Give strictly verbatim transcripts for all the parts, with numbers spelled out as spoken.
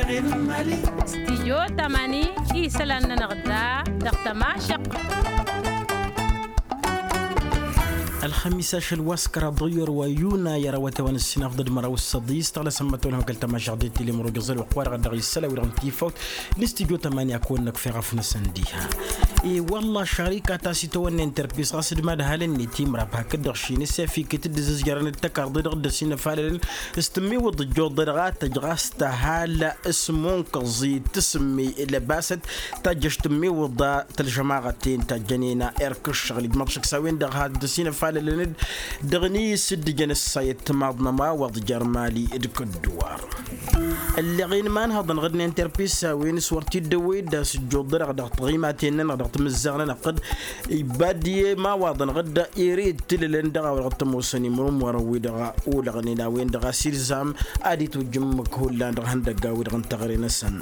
Stijyo tamani isălan-nănăɣ da dăɣ-tămašăɣt. Ălxămis ašăl wa s-kăraḍ dăɣ-iyyăr wa yuna i-ara wa tewăn ǝssin afḍăd măraw s-săḍis tăɣlăsăm mătwălhăm kăl-tămašăɣt d-tilimrug iẓăl wa qwa dăɣ-dăɣ isăl a-wi-dăɣ n-tifawt n-istijyo tamani a kăwăn-năkf eɣăf-năsăn diha. I-wălla šarika ta s-itawănna interpis ɣas d-mad-halăn-net imrab hakd-dăɣ šin s-efik i-tǝddǝzǝzjărăn d-tăkarḍe-dăɣ dd-ăsinăfalălăn s-tǝmmiwǝḍ ǝjjuḍ-dăɣ a tăj ɣas tăhal s-munkăẓ i-tǝsǝmmi lăbasăt tajjăš tǝmmiwǝḍ tălžămaɣăt-ten tajjănen erk ǝššăɣǝl ijmăḍ šăkk s-a-wen-dăɣ had-ăsinăfalălăn-dd dăɣ-inǝy s-dd-ǝjăn ǝssayăt timaḍ n-ămawăḍ jer-mali d-kădduwar. Ǝlleɣ-in imanhăḍăn ɣǝd n-interpis a-wen s-wăr t-dd-ăwwăy d-asǝjjuḍ-dăɣ dăɣ-tiɣimaten-nănăɣ dăɣ-timǝzzaɣ-nănăɣ-t-dd ibbad i-imawaḍăn ɣǝd ere d-tilǝlăn dăɣ-a-wa dăɣ-t-ămoosăn imrǝmwărăn-wi-dăɣ olăɣnen a-wen-dăɣ a-s ilzam ad-itwǝjjǝmmǝk hullan dăɣ-ihăndăgg a-wi-dăɣ n-teɣăre-năsăn.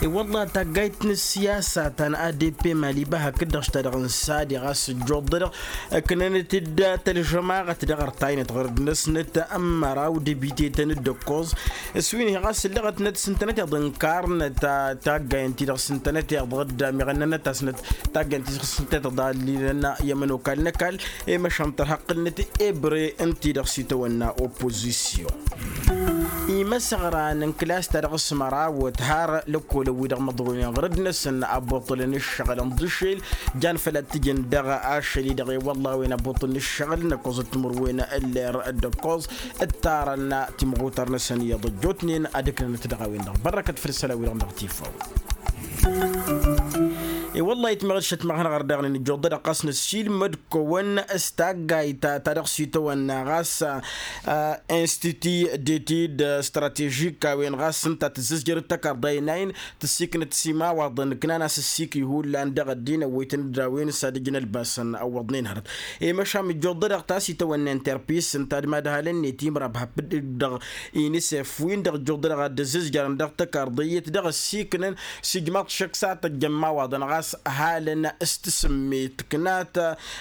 I-wălla taggayt n-ǝssiyasa ta n-adp mali iba hakd-dăɣ š-ta-dăɣ n-sadi ɣas ǝjjuḍ-dăɣ ǝknănăt-dd tălžămaɣăt dăɣ-ărtaynet ɣărd-năsnăt n-măraw d-ebitetăn d-ǝkkoẓ s-wi n-hi ɣas ǝllăɣăt-năt s-ǝntănăteḍ ǝnkarnăt taggayen-ti-dăɣ s-ǝntănăteḍ dd-amiɣăn n-anătasnăt taggayen-ti-dăɣ s-ǝntănăteḍ a ăllilăn i-ămănokal n-ăkall i-măšan tărha ǝqqǝlnăt ebre ǝnta-i-dăɣ s-itawănna oppozisyon. Imăsăɣra n-ǝnklas-ta-dăɣ s-mărawăt har lăkkolăn-wi-dăɣ măḍronen ɣărăd-năsăn abuṭṭǝlăn ǝššăɣǝlăn d-ašel jan făl ad-t-ǝjǝn dăɣ-ašăl-i-dăɣ i-wălla a-wen abuṭṭǝlăn ǝššăɣǝl n-ăkkoẓăt timǝrwen ǝller d-ăkkoẓ ǝttarăn timɣutar-năsăn iyyăḍ ăjjootnen ad-ǝknănăt dăɣ-a-wen-dăɣ bărrăkăt făll-isălan-wi-dăɣ n-dăɣ-tifaw. I-wălla-i timăɣ d-šătmăɣ hanăɣ-ărdăɣnen ǝjjuḍ-dăɣ ɣas năssiilmăd kăwăn s-taggayt ta dăɣ-s itawănna ɣas institut d-etid stratežik a-wen ɣas ǝnta tǝzzǝzjăr d-tăkarḍa-i n-a-in tǝssiknăt s-imawaḍăn ǝknan a-s ǝssiki hullan dăɣ-ăddin ăwwăytăn-dd a-wen s-ad-ǝjǝn ălbasăn ăwwăḍnen hărăt. I-măšan ǝjjuḍ-dăɣ ta s-itawănna interpis ǝnta d-mad-halăn-net imrab hapd-dăɣ inisef win-dăɣ ǝjjuḍ-dăɣ ad-dd-ăzzǝzjărăn dăɣ-tăkarḍe iyyăt dăɣ-ăssiknăn s-ijmaḍ šăkk s-ad-tăjjăn imawaḍăn ɣas halăn s-tǝsǝmmet tǝknat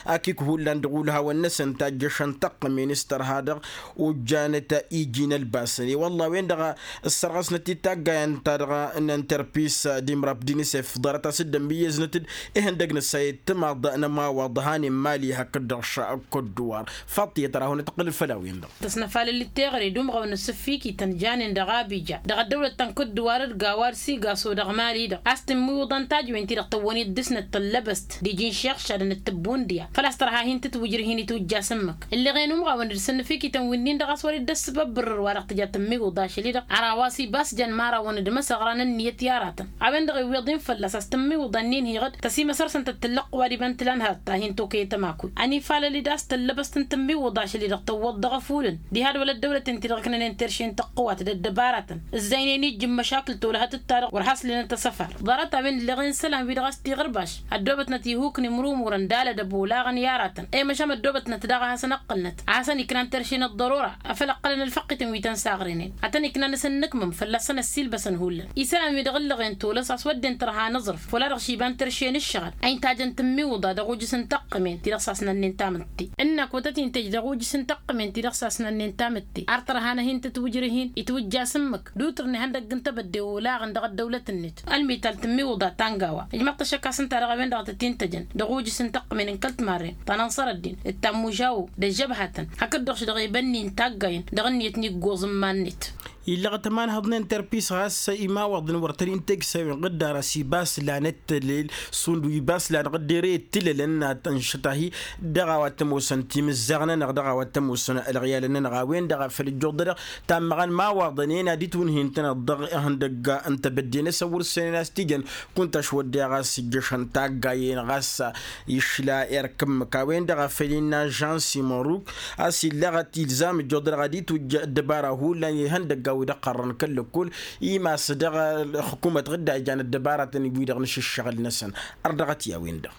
akik hullan dăɣ-ulhawăn-năsăn tajjăšăn tăqqǝmen s-tărha dăɣ-ojjanăt iji n-ălbasăn i-wălla a-wen-dăɣ ăssărɣăsnăt-dd taggayen-ta-dăɣ n-interpis d-imrab d-inisef ḍarăt a-s dd-ămmiyyăznăt-dd ihăndăg n-ăssayăt timaḍ n-ămawaḍ han immali hakd-dăɣ šăkk ădduwar. Faḍt iyyăt ra hunăt ǝqqǝlăn făll-a-wen-dăɣ. Tăsnăfalăl d-teɣăre d-umɣăwăn n-asǝffikităn janen dăɣ-abija dăɣ-ăddăwlăt ta n-kădduwar d-gawa d-sigaso dăɣ-mali-dăɣ a-s tǝmmiwǝḍăn tajwen-ti-dăɣ tăwwăn-dd dăr-snăt tăllăbăst d-iji n-šixšadăn d-tǝbbundǝya făl-a-s tărha hin-tǝtwǝjrǝh-in itwǝjja s-ǝmmǝk. Ǝlleɣen umɣawăn d-săn n-afikităn wi-nin-dăɣ a-s wăr-dd-ăssǝbăbbǝrrǝr wa dăɣ-tǝja tǝmmiwǝḍ ašăl-i-dăɣ ar a-wa s-ibas jăn imărawăn d-imăsăɣra n-ǝnniyăt i-aratăn a-wen-dăɣ iwweḍ-in fălla-s a-s tǝmmiwǝḍa-nin hiɣǝd tăsimăsărsăn tăt-tǝllăqqǝw ad-iba n-tǝla n-hărăt ta hin-tokăyăt ămakul ănifalăl-dd a-s tăllăbăst n-tǝmmiwǝḍa ašăl-i-dăɣ tăwwăḍ dăɣ-efulǝn diha d-wăla ăddăwlăten-ti-dăɣ ǝknănen terše n-tăqqǝwat d-ăddăbaratăn ǝzzăynen ijjǝm măšakǝl tolăhăt d-ta-dăɣ wăr haslen ad-t-ăsăfar. Ḍarăt-a-wen ǝlleɣen isălan-wi-dăɣ a-s t-iɣărbăš ăddoobătnăt ihuk n-imrumurăn d-alădăb olaɣăn i-aratăn i-măšan ăddoobătnăt daɣ a hasăn-ăqqǝlnăt a hasăn-iknan terše n-ăḍḍărora. Afăl ǝqqălăn ălfăqqităn wi tăn-saɣrenen ad-tăn-iknan s-ănnǝkmǝm fălla-săn ăssiilbăsăn hullan isălan-wi-dăɣ ǝllăɣen tolăs a-s wădden tărha n-aẓrǝf wăla-dăɣ išiba n-terše n-ǝššăɣǝl a intajăn tǝmmiwǝḍa dăɣ-ujǝs n-tăqqǝmen-ti-dăɣ s-asnănnen tamǝtte. Ǝnnak wa tăt-intăj dăɣ-ujǝs n-tăqqǝmen-ti-dăɣ s-asnănnen tamǝtte ar tărha n-ad-hin-tǝtwǝjrǝh-in itwǝjja s-ǝmmǝk d-utǝr n-ihăndăgg n-tebădde olaɣăn dăɣ-ăddăwlăt-net. Ălmital tǝmmiwǝḍa ta n-gawa ijmăɣ-t ăššăk a-s ǝnta-dăɣ a-wen-dăɣ a tăt-intăjăn dăɣ-ujǝs n-tăqqǝmen n-kăl-timarren ta n-anṣăr ăddin d-tammužawo d-ăžžăbhătăn hakd-dăɣ-š dăɣ-ebănni n-taggayen dăɣ-ǝnniyăt n-iggoẓ n-iman-net. Illăɣ tămanhăḍ n-interpis ɣas imawaḍăn wăr tăn-in-teg s-a-wen ɣǝddar a-s ibas lan ăttălel šund wi ibas lan ɣǝddere tǝlălăn n-ad-tăn-šătahi dăɣ-a-wa t-ămoosăn timǝzzaɣ-nănăɣ dăɣ-a-wa t-ămoosăn ălɣiyalăn-nănăɣ a-wen-dăɣ a făl ǝjjuḍădăɣ tammăɣăn imawaḍăn-en ad-dd-itwǝnhǝyăn-tănăt dăɣ-ihăndăgga n-tebădde-năsăn wăr-ǝssoynen a-s t-ijăn kunta šwăddeɣ a-s ǝjjăšăn taggayen ɣas išla erk ǝmmǝk a-wen-dăɣ a făl innă žan simăruk a-s illăɣăt ilzam ǝjjuḍădăɣ ad-itwǝjj ăddăbara hullan ihăndăgga wi dăɣ-iqqărrăn kăl-lăkkol imas dăɣ-ălxǝkumăt ɣǝdda ijan ăddăbaratăn wi-dăɣ n-ašǝššăɣǝl-năsăn. Ărdăɣăt i-a-wen-dăɣ.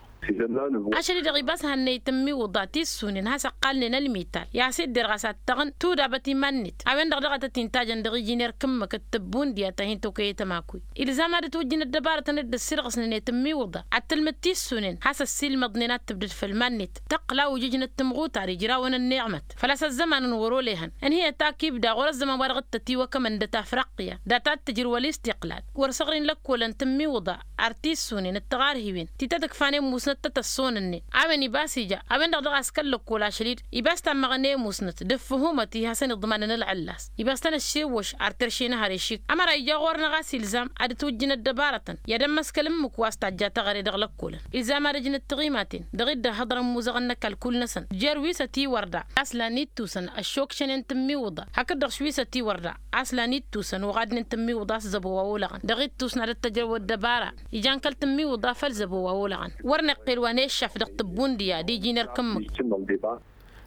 Ašăl-i-dăɣ ibas hannăy tǝmmiwǝḍa tissunen has-ăqqalnen ălmital i-ad-has-idder ɣas ad-tăɣǝn tudabăt iman-net a-wen-dăɣ daɣ a tăt-intajăn dăɣ-iji n-erk ǝmmǝk d-tǝbbundǝya ta hin-tokăyăt ămakuy. Ilzam ad-ătwǝjjǝn ăddăbarătăn d-ǝssirɣǝsnănet tǝmmiwǝḍa ad-tǝlmǝd tissunen has-ăssiilmăḍnen ad-tǝbdǝd făll-iman-net tăqqǝl a ujǝjnăt tǝmɣutar ijrawăn ănniɣmăt făl-a-s ăzzăman n-wăr-olehăn ǝnhǝyăt akib daɣ wăr-ăzzăman wa dăɣ-t-tătiwăkămăn dăt-afriqya data ad-tǝjrǝw ălistiqlal wăr săɣrin lăkkolăn tǝmmiwǝḍa ar tissunen d-tiɣarhiwen ti tăt-ǝkfanen musnăt tăt-ăssonănnen a-wen ibas ija a-wen-dăɣ dăɣ-a-s kăl-lăkkol ašăl-i-dd ibas tammăɣăn i-musnăt d-ǝffǝhumăt-i hasăn-iḍmanăn ălɣǝllas. Ibas tăn-ăššiwwăš ar terše n-ahăr ešik ămăra ija ɣur-năɣ a-s ilzam ad-ǝtwǝjjǝn ăddăbarătăn i-ad-ămmăskăl ǝmmǝk wa s-tajja taɣăre dăɣ-lăkkolăn ilzam ad-ǝjnăt tiɣimaten dăɣ-i dd-ăhhăḍrăn imuzăɣăn n-ăkall kull-năsăn jer-wi s-ătiwărda a-s lan ittusăn ăššokšănen tǝmmiwǝḍa hakd-dăɣ š-wi s-ătiwărda a-s lan ittusăn oɣadnen tǝmmiwǝḍa a-s zăbo wa olăɣăn dăɣ-ittus n-ad-ăttăjrăw ăddăbara ijan kăl-tǝmmiwǝḍa făll-zăbo wa olăɣăn wăr năqqel wa n-eššaf dăɣ-tǝbbundǝya d-iji n-erk ǝmmǝk.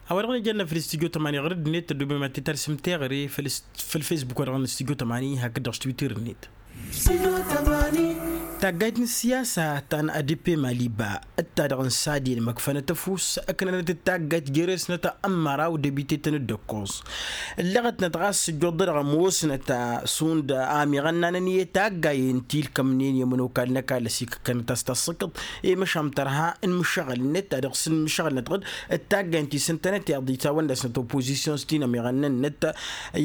A-wa-dăɣ nǝjănna făll-studyo tămani ɣur-dd-net tăddobem ad-t-tarsǝm teɣăre făll-facebook-wa-dăɣ n-studyo tămani hakd-dăɣ s-twitter-net. Taggayt n-ǝssiyasa ta n-adp maliba d-ta-dăɣ n-sadi ălmăkfănăt ăfuss ǝknănăt d-taggayt jere-snăt ămmăraw debite-tăn dd-ăkkoẓ ǝlleɣătnăt ɣas ǝjjuḍ-dăɣ ămoosnăt šund amiɣănnanăn i-taggayen ti ǝlkămnen i-ămănokal n-ăkall ăsikăkkănăt a-s tassǝkkăḍ i-măšan tărha n-imǝššăɣǝl-net ta dăɣ-s n-imǝššăɣǝl-năt ɣǝd d-taggayen ti s-ǝntănăt i-ad-dd-itawănna-snăt opozisyon s-tinămiɣăn-nănăt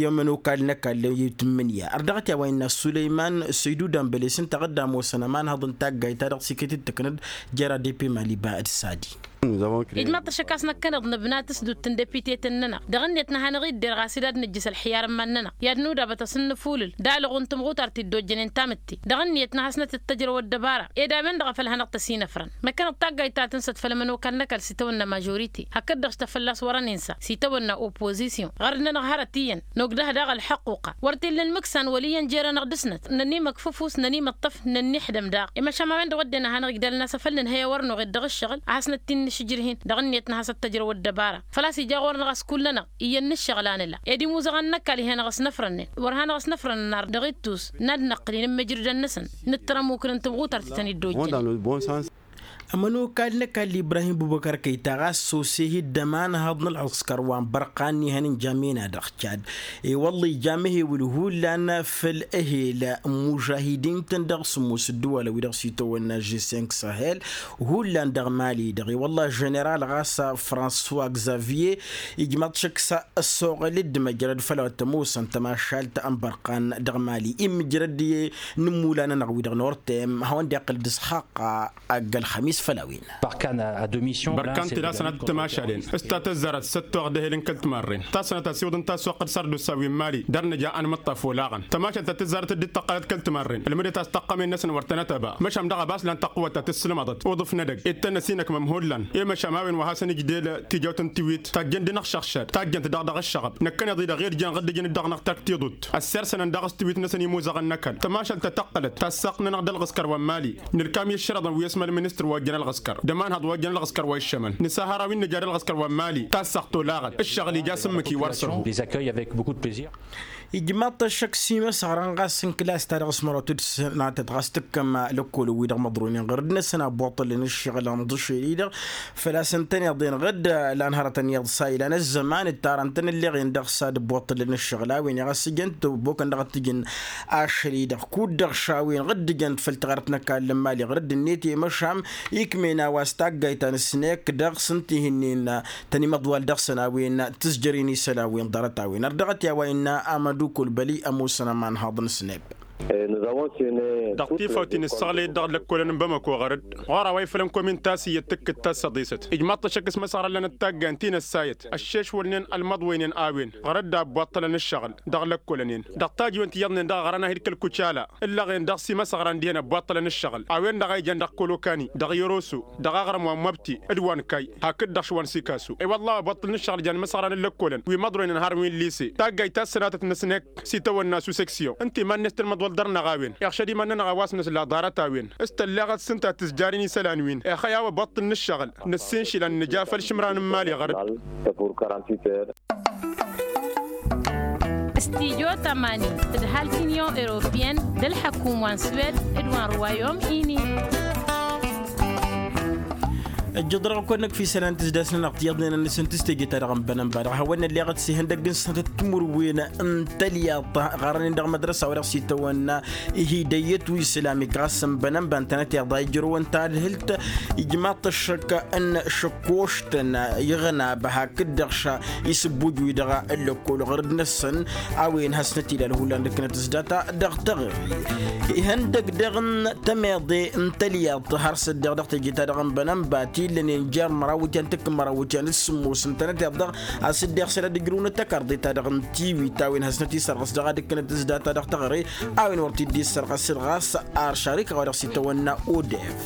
i-ămănokal n-ăkall i-tǝmmǝnǝya ărdăɣăt i-a-wa innă sulăyman săydu dambăle s-ǝnta ɣǝd d-ămoosăn ămanhăḍ n-taggayt ta dăɣ-s iket-dd-tǝknăd jer-adp maliba d-sadi. Ijmaḍ-t ăššăk a-s năkkăneḍ nǝbna tǝsdut n-depite-tăn-nănăɣ dăɣ-ǝnniyăt n-ad-hanăɣ-idder ɣas ed ad-nǝjjǝs ălxiyar n-iman-nănăɣ i-ad-nudabăt asǝnnǝfulǝl d-alăɣu n-timɣutart ti dd-ojjănen tamǝtte dăɣ-ǝnniyăt n-ad-hasnăt-dd-tăjrăw ăddăbara ed a-wen-dăɣ a făl hanăɣ-t-ăsinăfrăn. Năkkăneḍ taggayt ta tǝnsăt făll-ămănokal n-ăkall s-itawănna mažorite hakd-dăɣ s-tafălla a-s wăr-ăninsa s-itawănna opozisyon ɣărd-nănăɣ hărăt iyyăn nogdăh daɣ ălḥăqquqa wăr t-illa ălmǝksan wăl' iyyăn jer-anăɣ dăr-snăt nănimăkf ăfuss nănimăṭṭăf nănniḥdăm daɣ i-măšan a-wen-dăɣ wădden ad-hanăɣ-igdalăn a-s afăl nǝnhăy a wăr noɣed dăɣ-ǝššăɣǝl ad-hasnăt-in-nǝšǝjrǝh-in dăɣ-ǝnniyăt n-ad-has-ăttăjrăw ăddăbara făl-a-s ija ɣur-năɣ a-s kull-nănăɣ iyyăn n-ǝššăɣǝl a nǝla ed imuzăɣăn n-ăkall ih'-anăɣ ăsnăfrănnen wăr hanăɣ-ăsnăfrănăn ar dăɣ-ittus n-ad-năqqǝl inǝmmǝjrǝdăn-năsăn nǝttăr ămukǝn n-tǝmɣutart ti tăn-dd-ojjănen. Ămănokal n-ăkall ibrahim bubăkăr kăyta ɣas sose-hi dd-ămanhăḍ n-ălɣǝskăr wa n-bărqan n-ihăn n-jammena dăɣ-cad i-wălla ija amăhewǝl hullan făll-ehel n-imužahidin-tăn dăɣ-sǝmmos ǝddǝwalăn wi-dăɣ s-itawănna žeseng sahel hullan dăɣ-mali-dăɣ i-wălla ženeral ɣas françois xavier ijmaḍ šăkk s-ăssoɣăl d-măjrăd făll-a-wa t-ămoosăn tămašalt n-bărqan dăɣ-mali imǝjrăd i-inǝmmulan-nănăɣ wi-dăɣ n-ortem hawăn-dd-iqqǝl d-isxaqqa agg-ălxămis făll-a-wen. Bărkan tǝla sănat tămašalen s-ta tăzzarăt s-ăttoɣ d-ehel n-kăl-timarren ta sănat asiwǝḍ n-tassoqt d-sardusa wi n-mali dăr-nǝja anmǝṭṭaf olaɣăn tămašalt ta tǝzzarăt dd-tăqqălăt kăl-timarren ălmǝdăt a-s tăqqămen-năsăn wăr tănăt ăba măšan dăɣ-abas lan tăqqǝwăt ta tǝssǝlmăḍăt uḍǝf n-edăgg ed tăn-ăsinăkmăm hullan i-măšan a-wen wa hasăn-ǝjdel tijawt n-tiwit tajjăn-dd inăɣšăɣšad tajjăn-t daɣ dăɣ-ǝššăɣăb năkkăneḍ-i-dăɣ irjăn ɣǝddǝjăn-dd dăɣ-năɣ takt tiḍut ăssirsănăn daɣ s-tiwit-năsăn imuzăɣăn n-ăkall tămašalt ta tăqqălăt tassaqt-nănăɣ d-ălɣǝskăr wa n-mali nǝlkam i-ǝššărăḍăn wi ăsmăl ministăr wa ojjăn ălɣǝskăr d-ămanhăḍ wa ojjăn ălɣǝskăr wa iššămăn nǝsahăr a-wi n-nǝja d-ălɣǝskăr wa n-mali tassaqt olaɣăt ǝššăɣǝl ija s-ǝmmǝk-i wăr sărhu. Ijmaḍ-t ăššăk s-imăsɣăran ɣas n-klas-ta-dăɣ s-mărătut s-natăt ɣas tǝkkăm lăkkolăn-wi-dăɣ măḍroynen ɣur-dd-năsăn a boṭṭălăn ǝššăɣǝl ănḍǝšel-i-dăɣ făl-a-s ǝntăneḍ-en ɣǝd lan hărătăn iyyăḍ s-a ilan ăzzăman ǝttarăn-tăn ǝlleɣ-en dăɣ-s ad-ăbboṭṭălăn ǝššăɣǝl a-wen i-ɣas ǝjăn-t ăbokăn dăɣ-t-ǝjǝn ašăl-i-dăɣ kud-dăɣ šawin ɣǝd ǝjăn-t făll-tiɣărt n-ăkall n-mali ɣur-dd-net i-măšam ikmena wa s-taggayt ta n-snekk dăɣ-s ǝnta ih'-ǝnnin tăn-imăḍwal dăɣ-săn a-wen tǝzjăr-in isălan wi n-ḍarăt a-wen ărdăɣăt i-a-wa innă amădukul băli ămoosăn ămanhăḍ n-snekk. Dăɣ-tifawt-in ǝssăɣlăyăt dăɣ-lăkkolăn n-bamăko ɣur-dd ɣur-a-wa ifălăn komin tasǝyyăt tǝkkǝt tassăḍisăt ijmaḍ-t ăššăk s-imăsɣăran lanăt taggayen ti n-ăssayăt ăššešwălnen ălmăḍwăynen a-wen ɣur-dd a ăbboṭṭălăn ǝššăɣǝl dăɣ-lăkkolăn-en dăɣ-tajǝwen ti iyyăḍnen dăɣ-ăɣrăn ahil kăl-kucala ǝllăɣen dăɣ-s imăsɣăran dihen ăbboṭṭălăn ǝššăɣǝl a-wen-dăɣ a ijăn dăɣ-kolokan-i dăɣ-iroso dăɣ-aɣrǝm wa n-măbti d-wa n-kay hakd-dăɣ š-wa n-sikaso i-wălla a ăbboṭṭălăn ǝššăɣǝl jan imăsɣăran n-lăkkolăn wi măḍroynen harăn wi n-lise taggayt ta s-sănatăt n-asnek s-itawănna su seksyon ǝnta iman-net tălmăḍwăl dăr-năɣ a-wen iɣšăd iman-nănăɣ a-wa s-năsla ḍarăt a-wen s-tălleɣăt s-ǝnta tǝzjar-in isălan-win ixăy a-wa ăbboṭṭălăn ǝššăɣǝl năssiinšǝl ad-nǝja făll-išǝmran n-imali ɣur-dd. Studyo tămani tǝdhal t-inyon europiyăn d-ălḥăkum wa n-swed d-wa n-rwayom ini. Ăjjăḍ-dăɣ ăkk wa n-năkf isălan tǝzdas-nănăɣ tiyyăḍnen-nănn s-ǝntǝstejăt-ta-dăɣ n-bănănba dăɣ-hawăn-nălleɣăt s-ihăndăgg n-sănatăt timǝrwen n-talyaḍt ɣarăn-in dăɣ-mădrăsa wa dăɣ-s itawănna ihidăyyăt wi isălam ikɣas n-bănănba ǝntănăt iḍa ijrăwăn tadhǝlt ijmaḍ-t ăššăk n-šăkkoštăn iɣnab hakd-dăɣ ša isǝbbuj wi-dăɣ ăllăkkol ɣur-dd-năsăn a-wen hasnăt-ila ălhullan d-ǝknăt s-data dăɣ-taɣri ihăndăg dăɣ-n tămeḍe n-talyaḍt har s-ăddeɣ dăɣ-teje-ta-dăɣ n-bănănba ti ǝllănen jer-măraw wǝtyan tǝkkǝn măraw wǝtyan d-sǝmmos ǝntănăt iḍăɣ a-s ǝddeɣ săl ad-ǝjrǝwnăt tăkarḍe-ta-dăɣ n-tiwit a-wen hasnăt-isărɣǝs dăɣ-ad-ǝkkǝnăt s-data dăɣ-taɣre a-wen wăr t-dd-isărɣăs ɣas ar šarika wa dăɣ-s itawănna odef.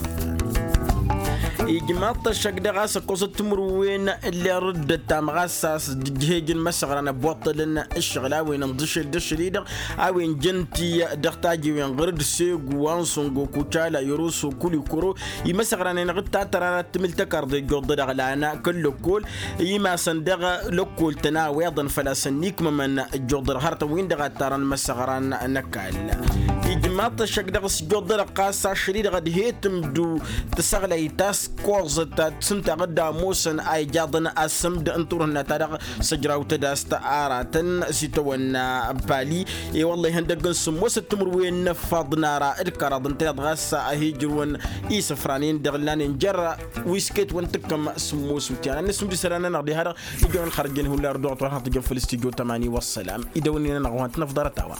Ijmaḍ-t ăššăk dăɣ-a-s ăkkoẓăt timǝrwen n-ler dd-ăttam ɣas a-s dd-ǝjhej n-imăsăɣran ăbbuṭṭălăn ǝššăɣǝl a-wen ǝnḍǝšel d-ašăl-i-dăɣ a-wen jăn-t-i dăɣ-tajewen ɣur-dd segu wa n-săngo kucala yăroso kulikoro imăsăɣranen ɣǝtta tărarăt tǝmǝl tăkarḍe ăjjuḍ-dăɣ lan kăl-lăkkol imasăn dăɣ-lăkkol tăn-a-weḍăn făl-a-s ănnikmămăn ăjjuḍ-dăɣ hărătăn-win-dăɣ a ǝttarăn imăsăɣran n-ăkall. Ijmaḍ-t ăššăk dăɣ-s ăjjuḍ-dăɣ ɣas ašăl-i-dăɣ ădhet ǝmdu tăsăɣlayt ta s-koẓăt ta tǝsǝntaɣ-dd ămoosăn a ijaḍăn asǝmd n-turhǝnna-ta-dăɣ săjraw tădast aratăn s-itawănna pali. I-wălla ihăndăgg n-sǝmmosăt timǝrwen n-ǝffaḍ n-ara d-kăraḍ ǝnta iḍ ɣas a hi-ǝjrǝwăn isǝfran-in-dăɣ ǝllanen jer-wisket wa n-tǝkkăm sǝmmos wǝtyan ad-nǝsǝmd isălan-nănăɣ diha-dăɣ ijăn ălxărjăn hullan ărduɣăt wa dăɣ-hanăɣ-tǝjăn făll-studyo tămani wăssălam. Idăwănnin-nănăɣ wa n-tǝnăfḍarăt a-wa.